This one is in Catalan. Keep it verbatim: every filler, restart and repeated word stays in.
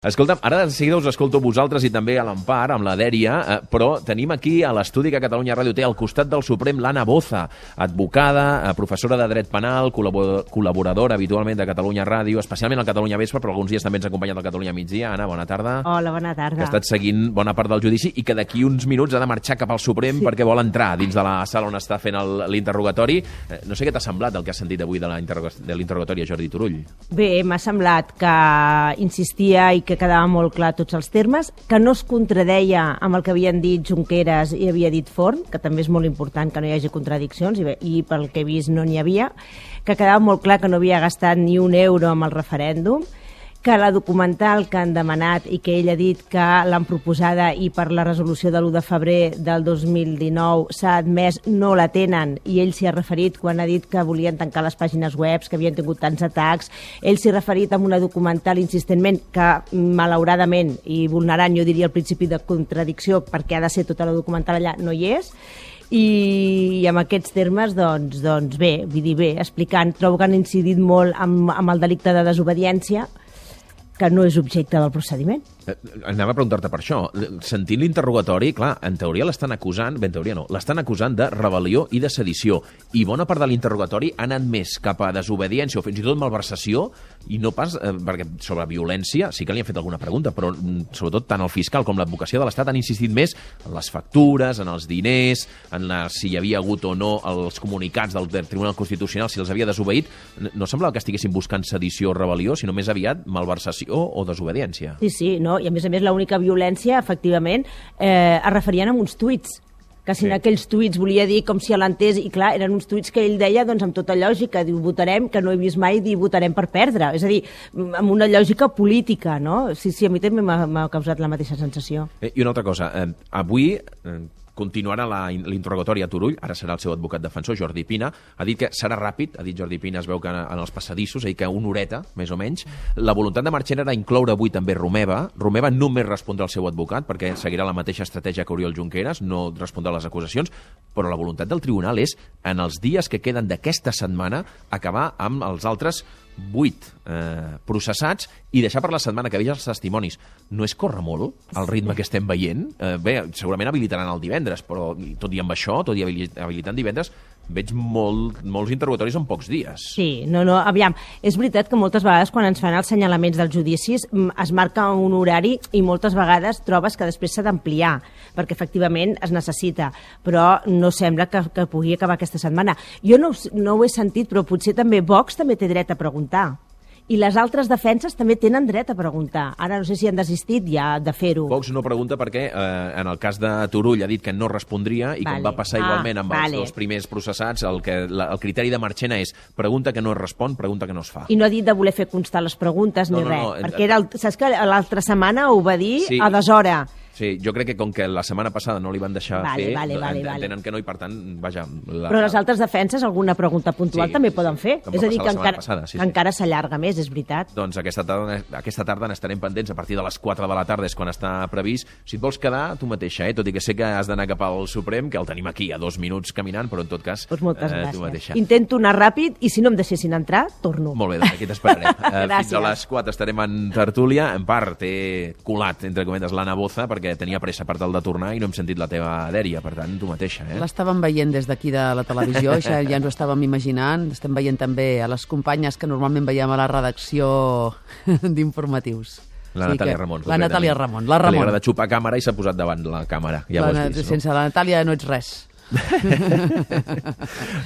Escolta'm, ara de seguida us escolto a vosaltres i també a l'Empar, amb la Dèria, eh, però tenim aquí a l'estudi que Catalunya Ràdio té al costat del Suprem l'Anna Boza, advocada, eh, professora de dret penal, col·labor col·laboradora habitualment de Catalunya Ràdio, especialment al Catalunya Vespre, però alguns dies també ens ha acompanyat al Catalunya Migdia. Anna, bona tarda. Hola, bona tarda. Que ha estat seguint bona part del judici i que d'aquí uns minuts ha de marxar cap al Suprem sí. perquè vol entrar dins de la sala on està fent l'interrogatori. Eh, no sé què t'ha semblat el que has sentit avui de l'interrogatori a Jordi Turull. Bé, m'ha semblat que insistia i que quedava molt clar tots els termes, que no es contradeia amb el que havien dit Junqueras i havia dit Forn, que també és molt important que no hi hagi contradiccions, i, bé, i pel que he vist no n'hi havia, que quedava molt clar que no havia gastat ni un euro amb el referèndum, que la documental que han demanat i que ell ha dit que l'han proposada i per la resolució de l'u de febrer del dos mil dinou s'ha admès, no la tenen, i ell s'hi ha referit quan ha dit que volien tancar les pàgines web, que havien tingut tants atacs. Ell s'hi ha referit amb una documental insistentment que, malauradament, i vulnerant, jo diria, el principi de contradicció, perquè ha de ser tota la documental allà, no hi és. I, i amb aquests termes, doncs, doncs bé, vull dir bé, explicant, trobo que han incidit molt amb, amb el delicte de desobediència, que no és objecte del procediment. Anava a preguntar-te per això. Sentint l'interrogatori, clar, en teoria l'estan acusant, bé, en teoria no, l'estan acusant de rebel·lió i de sedició. I bona part de l'interrogatori ha anat més cap a desobediència o fins i tot malversació, i no pas, eh, perquè sobre violència sí que li han fet alguna pregunta, però sobretot tant el fiscal com l'advocacia de l'Estat han insistit més en les factures, en els diners, en la, si hi havia hagut o no els comunicats del Tribunal Constitucional, si els havia desobeït. No semblava que estiguessin buscant sedició o rebel·lió, sinó més aviat malversació o desobediència. Sí, sí, no? I a més a més l'única violència, efectivament, eh, es referien a uns tuits, que si sí. en aquells tuits volia dir com si l'entès, i clar, eren uns tuits que ell deia doncs amb tota lògica, diu, votarem, que no he vist mai dir votarem per perdre, és a dir, amb una lògica política, no? Sí, sí, a mi també m'ha causat la mateixa sensació. Eh, I una altra cosa, eh, avui... Eh, continuarà l'interrogatori a Turull, ara serà el seu advocat defensor, Jordi Pina, ha dit que serà ràpid, ha dit Jordi Pina, es veu que en els passadissos, és a dir, que una horeta, més o menys. La voluntat de Marchena era incloure avui també Romeva. Romeva només respondrà al seu advocat, perquè seguirà la mateixa estratègia que Oriol Junqueras, no respondrà a les acusacions, però la voluntat del tribunal és, en els dies que queden d'aquesta setmana, acabar amb els altres vuit eh, processats i deixar per la setmana que ve els testimonis. No és córrer molt el ritme que estem veient? Eh, bé, segurament habilitaran el divendres, però tot i amb això, tot i habilitant divendres, veig molt, molts interrogatoris en pocs dies. Sí, no, no, aviam, és veritat que moltes vegades quan ens fan els senyalaments dels judicis es marca un horari i moltes vegades trobes que després s'ha d'ampliar, perquè efectivament es necessita, però no sembla que, que pugui acabar aquesta setmana. Jo no, no ho he sentit, però potser també Vox també té dret a preguntar. I les altres defenses també tenen dret a preguntar. Ara no sé si han desistit ja de fer-ho. Vox no pregunta perquè eh, en el cas de Turull ha dit que no respondria i vale. Com va passar ah, igualment amb vale. els dos primers processats, el, que, la, el criteri de Marchena és pregunta que no es respon, pregunta que no es fa. I no ha dit de voler fer constar les preguntes no, ni no, res. No, perquè era el, saps que l'altra setmana ho va dir sí. a deshora. Sí, jo crec que com que la setmana passada no li van deixar vale, fer, vale, vale, entenen vale. que no, i per tant, vaja... La, Però les altres defenses, alguna pregunta puntual sí, també poden fer. Sí, és a dir, que encara, passada, sí, sí. encara s'allarga més, és veritat. Doncs aquesta tarda, aquesta tarda n'estarem pendents a partir de les quatre de la tarda, és quan està previst. Si et vols quedar, tu mateixa, eh? Tot i que sé que has d'anar cap al Suprem, que el tenim aquí a dos minuts caminant, però en tot cas, pues moltes eh, gràcies. tu mateixa. Intento anar ràpid i si no em deixessin entrar, torno. Molt bé, doncs aquí t'esperarem. Fins a les quatre estarem en tertúlia. En part, he colat, entre cometes, l'Anna Boza, perquè tenia pressa per tal de tornar i no hem sentit la teva Dèria, per tant, tu mateixa. Eh? L'estàvem veient des d'aquí de la televisió, ja, ja ens ho estàvem imaginant. Estem veient també a les companyes que normalment veiem a la redacció d'informatius. La sí Natàlia que, Ramon. La Natàlia Ramon. La Ramon. Que li agrada xupar càmera i s'ha posat davant la càmera. Ja la, ho has vist, sense no? la Natàlia no ets res.